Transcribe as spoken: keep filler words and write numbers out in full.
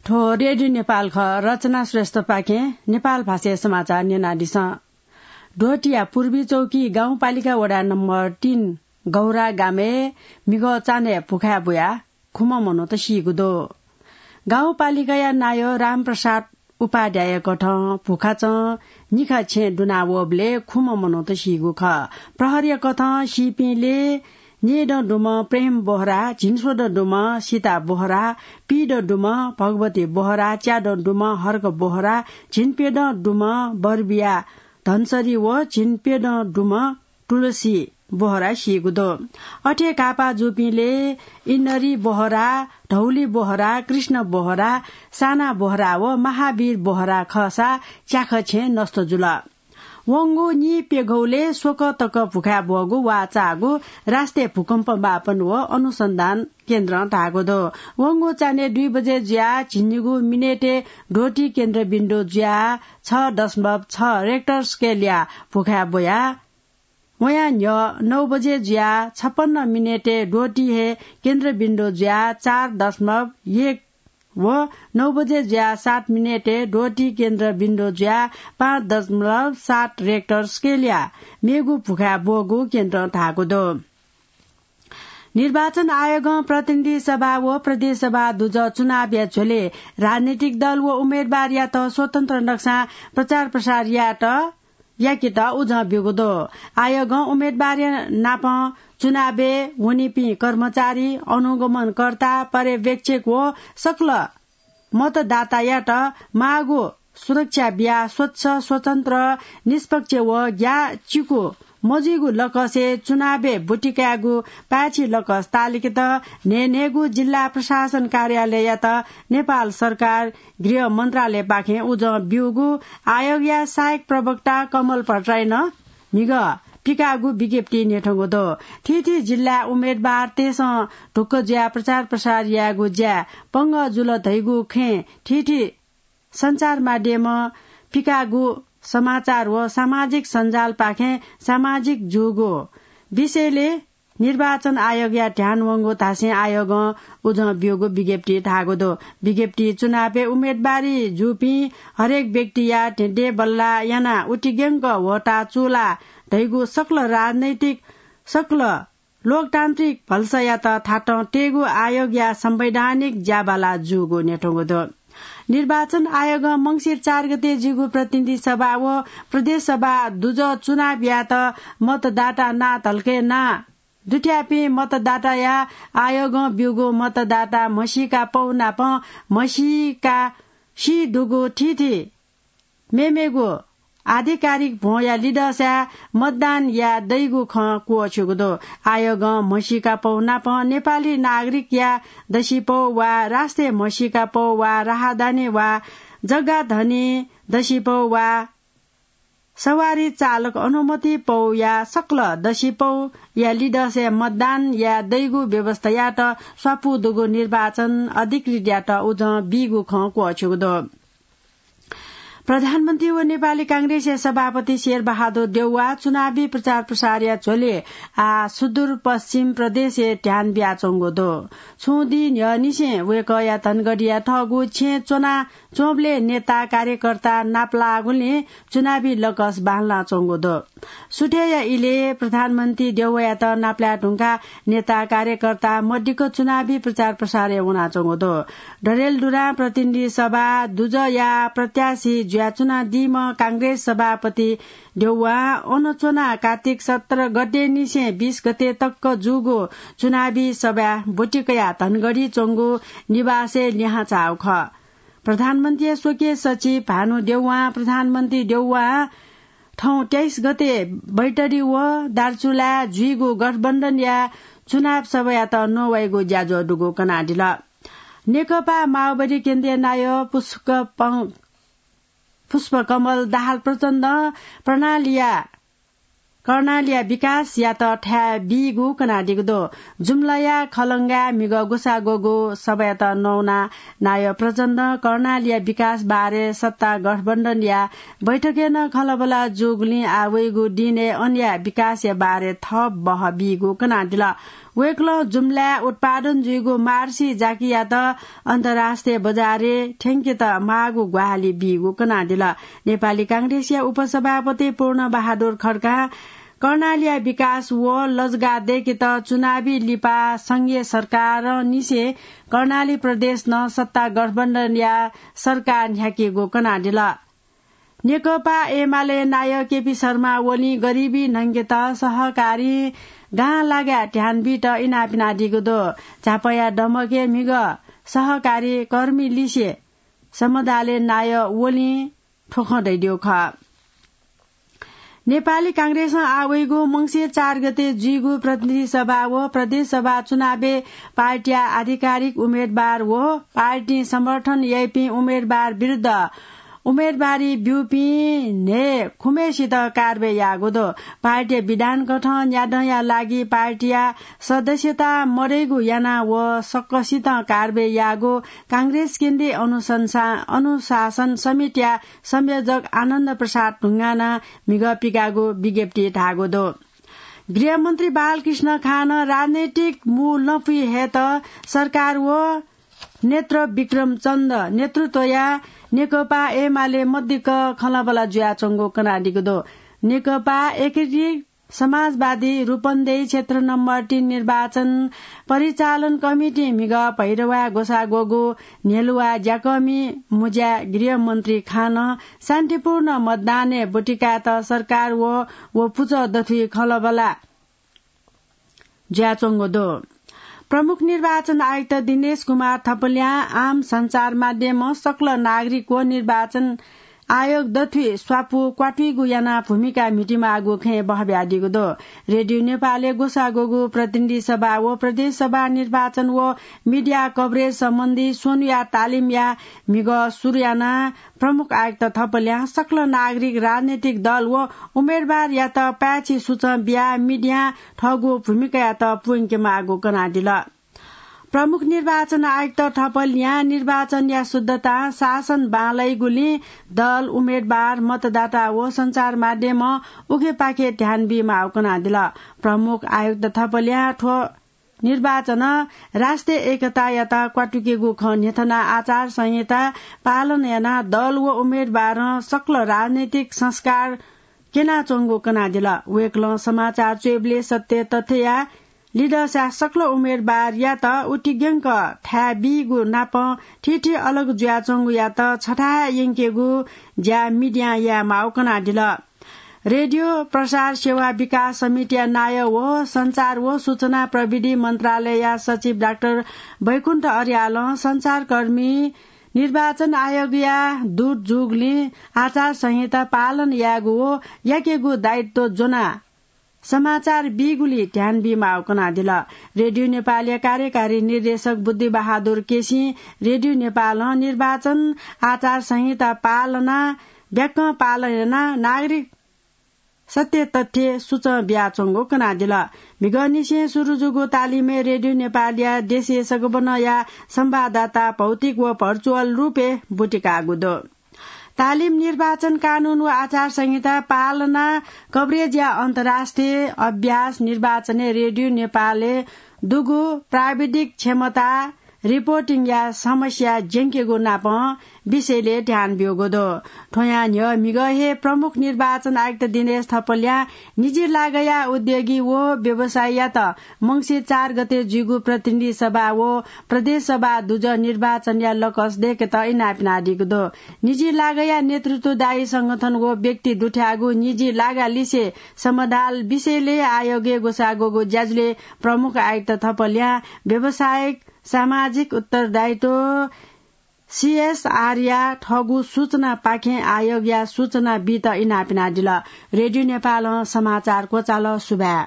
थ्व रेडियो नेपाल खः। रचना श्रेष्ठपाखें नेपाल भाषाया समाचार न्यनादिसँ। ध्वटीया पूर्वी चौकी गाउँपालिका वडा नम्बर तीन गौरा गामय् म्हिगः चान्हय् भुखाय् बुयाः खुम्ह मनूत सीगु दु। गाउँपालिकाया नायः रामप्रसाद उपाध्यायया कथं भुखाचं निखा छेँ दुना वःबलय् खुम्ह मनूत सीगु खः। प्रहरीया कथं सीपिंलय् न्येदँ दुम्ह प्रेम बोहरा, झिंस्वदँ दुम्ह सीता बोहरा, पीदँ दुम्ह भगवती बोहरा, च्यादँ दुम्ह हर्क बोहरा, झिंप्यदँ दुम्ह बरबिया धनसरी व झिंप्यदँ दुम्ह तुलसी बोहरा सीगु दु। अथे घाःपाः जूपिंलय् इन्नरी बोहरा, धौली बोहरा, कृष्ण बोहरा, साना बोहरा व महावीर बोहरा खःसा च्याखः छेँ नष्ट जुल। वंगु नीप्यघौलय् स्वकः तक भुखाय् ब्वःगु वाःचाःगु राष्ट्रिय भूकम्प मापन व अनुसन्धान केन्द्रं धाःगु दु। वंगु चान्हय् दुई बजे जुयाः झिंनिगू मिनेटय् ध्वटी केन्द्रबिन्दु जुयाः छ दशमलव छ रेक्टर स्केलया भुखाय् ब्वयाः वयां न्ह्यः नौ बजे जुयाः छपन्न मिनेटय् ध्वटी हे केन्द्रबिन्दु जुयाः चार दशमलव एक व नौ बजे जुयाः सात मिनेटय् ध्वटी केन्द्रबिन्दु जुयाः पाँच दशमलव सात रेक्टर स्केलया मेगु भुखाय् ब्वःगु केन्द्रं धाःगु दु। निर्वाचन आयोगं प्रतिनिधि सभा व प्रदेश सभा दुजः चुनावया झ्वलय् राजनैतिक दल व उम्मेदवारयात स्वतन्त्र नक्सां प्रचार प्रसार यायेत याकेत उजं ब्यूगु दु। आयोगं उम्मेदवारया नापं चुनावय् वनीपिं कर्मचारी, अनुगमनकर्ता, पर्यवेक्षक व सकल मतदातायात माःगु सुरक्षा बियाः स्वच्छ, स्वतन्त्र, निष्पक्ष व ग्याःचिकु मजुइगु लकसय् चुनावय् ब्वति कायेगु पाय्छि लकस तालिकेत न्हय्न्हय्गु जिल्ला प्रशासन कार्यालययात नेपाल सरकार गृह मन्त्रालयपाखें उजं ब्यूगु आयोगया सहायक प्रवक्ता कमल भट्टराईं म्हिगः पिकाःगु विज्ञप्ति न्ह्यथंगु दु। थीथी जिल्लाय् उम्मेदवारतय्सं ढुक्क जुयाः प्रचार प्रसार यायेगु ज्याय् पंगः जुल धइगु खँय् थीथी सञ्चार माध्यमं पिकाःगु समाचार व सामाजिक सञ्जालपाखें सामाजिक जूगु विषयलय् निर्वाचन आयोगया ध्यान वंगु धासें आयोगं उजं ब्यूगु विज्ञप्ति धाःगु दु। विज्ञप्ति चुनावय् उम्मेदवारी जूपिं हरेक व्यक्तिया धेंधेंबल्ला यानाः उतिग्यंक भोट चूला धइगु सकल राजनैतिक, सकल लोकतान्त्रिक भलसायात थातं तयेगु आयोगया संवैधानिक ज्याबाला जूगु न्ह्यथंगु दु। निर्वाचन आयोगं मंसिर चार गते जूगु प्रतिनिधि सभा व प्रदेश सभा दुजः चुनावयात मतदाता नां धलखय् नां दुथ्याःपिं मतदाताया आयोगं ब्यूगु मतदाता म्हसीका पौ नाप म्हसीका सी दुगु थीथी मेमेगु आधिकारिक भ्वंया लिदःसाय् मतदान याये दइगु खँ क्वःछ्यूगु दु। आयोगं म्हसीका पौ नाप नेपाली नागरिकया दसिपौ वा राष्ट्रिय म्हसीका पौ वा राहदानी वा जग्गाधनी दसिपौ वा सवारी चालक अनुमति पौया सकल दसिपौया लिदःसाय् मतदान याये दइगु व्यवस्थायात स्वापू दुगु निर्वाचन अधिकृतयात उजं बीगु खँ क्वःछ्यूगु दु। प्रधानमन्त्री व नेपाली कांग्रेसया सभापति शेरबहादुर देउवा चुनावी प्रचार प्रसारया झ्वलय् आः सुदूरपश्चिम प्रदेशय् ध्यान बियाच्वंगु दु। छुं दिं न्ह्यःनिसें वय्कःया धनगढीया थःगु छेँय् च्वना च्वंबलय् नेता कार्यकर्ता नापलाःगुलिं चुनावी लकस बांलाच्वंगु दु। सुथय्या इलय् प्रधानमन्त्री देउवायात नापलाये धुंकाः नेता कार्यकर्ता मदिक्क चुनावी प्रचार प्रसारय् वनाच्वंगु दु। डडेलधुरां प्रतिनिधि सभा दुजःया प्रत्याशी जुयाच्वनादीम्ह कांग्रेस सभापति देउवां अन च्वनाः कार्तिक सत्र गतेनिसें बीस गते तक जूगु चुनावी सभाय् ब्वति कयाः धनगढी च्वंगु निवासय् लिहां झाःगु खः। प्रधानमन्त्रीया स्वकीय सचिव भानु देउवां प्रधानमन्त्री देउवां थौं तेइस गते बैतडी व दार्चुलाय् जुइगु गठबन्धनया चुनाव सभायात नवाइगु ज्याझ्वः दुगु कनादिल। नेकपा माओवादी केन्द्रीय नायः पुष्प पं-, पुष्पकमल दाहाल प्रचण्डं प्रणालीया कर्णालीया विकासयात थाय् बीगु कनादीगु दु। जुम्लाया खलंगाय् म्हिगः गुसाग्वःगु सभायात नवाना नायः प्रचण्डं कर्णालीया विकास बारे सत्ता गठबन्धनया बैठकय् नं खँल्हाबल्हा जूगुलिं आः वइगु दिनय् अनया विकासया बारे थप बहः बीगु कनादिल। वय्कलं जुम्लाय् उत्पादन जुइगु मार्सी जाकियात अन्तर्राष्ट्रिय बजारय् थ्यंकेत माःगु ग्वाहालि बीगु कनादिल। नेपाली कांग्रेसया उपसभापति पूर्ण बहादुर खड्कां कर्णालीया विकास व लजगाः दय्केत चुनावी लिपा संघीय सरकारंनिसें कर्णाली प्रदेशं सत्ता गठबन्धनया सरकार न्ह्याकेगु कनादिल। नेकपा एमाले नायः केपी शर्मा ओलीं गरिबी न्हंकेत सहकारी गां लागाय् ध्यान बीत इनाप यानादीगु दु। झापाया दमकय् म्हिगः सहकारी कर्मी लिसे समदालय् नायः ओलीं थ्व खँ धयादीगु खः। नेपाली कांग्रेसं आः वइगु मंसिर चार गते जुइगु प्रतिनिधि सभा व प्रदेश सभा चुनावय् पार्टीया आधिकारिक उम्मेदवार व पार्टीं समर्थन याइपिं उम्मेदवार विरुद्ध उम्मेदवारी ब्यूपिं न्हय् खुम्हय्सित कारवाही याःगु दु। पार्टीया विधान कथं न्यादँया लागि पार्टीया सदस्यता मदइगु यानाः व सकसितं कारवाही याःगु कांग्रेस केन्द्रीय अनुशंसा-, अनुशासन समितिया संयोजक आनन्द प्रसाद ढुङ्गानां म्हिगः पिकाःगु विज्ञप्तिइ धाःगु दु। गृहमन्त्री बालकृष्ण खानं राजनैतिक मू लँपुइ हयेत सरकार व नेत्र विक्रम चन्द नेतृत्वया नेकपा एमाले मदिक्क खँल्हाबल्हा जुयाच्वंगु कनादीगु दु। नेकपा एकीकृत समाजवादी रूपन्देही क्षेत्र नम्बर तीन निर्वाचन परिचालन कमिटिं म्हिगः भैरवाय् ग्वसाः ग्वःगु न्ह्यलुवा ज्याकःमि मुँज्याय् गृहमन्त्री खानं शान्तिपूर्ण मतदानय् ब्वतिकायेत सरकार व, व पुचः दथुइ खँल्हाबल्हा जुयाच्वंगु दु। प्रमुख निर्वाचन आयुक्त दिनेश कुमार थपलियां आम सञ्चार माध्यमं सकल नागरिक व निर्वाचन आयोग दथुइ स्वापू क्वातुइगु यानाः भूमिका म्हितेमाःगु खँय् बहब्यादीगु दु। रेडियो नेपालय् ग्वसाः ग्वःगु प्रतिनिधि सभा व प्रदेश सभा निर्वाचन व मिडिया कभरेज सम्बन्धी स्वन्हुया तालिमया म्हिगः सुरु यानाः प्रमुख आयुक्त थपलियां सकल नागरिक, राजनैतिक दल व उम्मेदवारयात पाय्छि सूचं बियाः मिडियां थःगु भूमिकायात पूवंकेमाःगु कनादिल। प्रमुख निर्वाचन आयुक्त थपलियां निर्वाचनया शुद्धतां शासन बांलाइगुलिं दल, उम्मेदवार, मतदाता व सञ्चार माध्यमं उखेपाखे ध्यान बीमाःगु कनादिल। प्रमुख आयुक्त थपलियां थ्व निर्वाचनं राष्ट्रिय एकतायात क्वातुकेगु खँ न्ह्यथनाः आचार संहिता पालन यानाः दल व उम्मेदवारं सकल राजनैतिक संस्कार क्यनाच्वंगु कनादिल। वय्कलं समाचार च्वयेबलय् सत्य तथ्यया लिधंसा सकल उम्मेदवारयात उतिग्यंक थाय् बीगु नापं थीथी अलग जुयाच्वंगुयात छथाय् यंकेगु ज्या मिडियां यायेमाःगु कनादिल। रेडियो प्रसार सेवा विकास समितिया नायः व सञ्चार व सूचना प्रविधि मन्त्रालयया सचिव डाक्टर बैकुण्ठ अर्यालं सञ्चारकर्मी निर्वाचन आयोगया दूत जूगुलिं आचार संहिता पालन यायेगु व याकेगु दायित्व ज्वनाः समाचार बीगुली ध्यान बीमाःगु कनादिल। रेडियो नेपालया कार्यकारी निर्देशक बुद्धिबहादुर केसीं रेडियो नेपालं निर्वाचन आचार संहिता पालना ब्याकं पालन यानाः नागरिक सत्य तथ्य सूचं बियाच्वंगु कनादिल। म्हिगःनिसें सुरु जूगु तालिमय् रेडियो नेपालया देशे सगबनया संवाददाता भौतिक व भर्चुअल रूपय् ब्वतिकाःगु दु। तालिम निर्वाचन कानून व आचार संहिता पालना कभरेजया अन्तर्राष्ट्रिय अभ्यास निर्वाचनय् रेडियो नेपालय् दुगु प्राविधिक क्षमता, रिपोर्टिङया समस्या ज्यंकेगु नापं विषयलय् ध्यान ब्यूगु दु। थ्वयां न्ह्यः म्हिगः हे प्रमुख निर्वाचन आयुक्त दिनेश थपलियां निजी लागःया उद्योगी व व्यवसायीयात मंसिर चार गते जुइगु प्रतिनिधि सभा व प्रदेश सभा दुजः निर्वाचनया लकस दय्केत इनाप यानादीगु दु। निजी लागःया नेतृत्वदायी संगठन व व्यक्ति दुथ्याःगु निजी लागा लिसे समदाल विषयलय् आयोगय् ग्वसाः ग्वःगु ज्याझ्वलय् प्रमुख आयुक्त थपलियां व्यावसायिक सामाजिक उत्तरदायित्व, सीएसआरया थःगु सूचनापाखें आयोगया सूचना बीत इनाप यानादिल। रेडियो नेपालं समाचार क्वचाल। सुभाय्।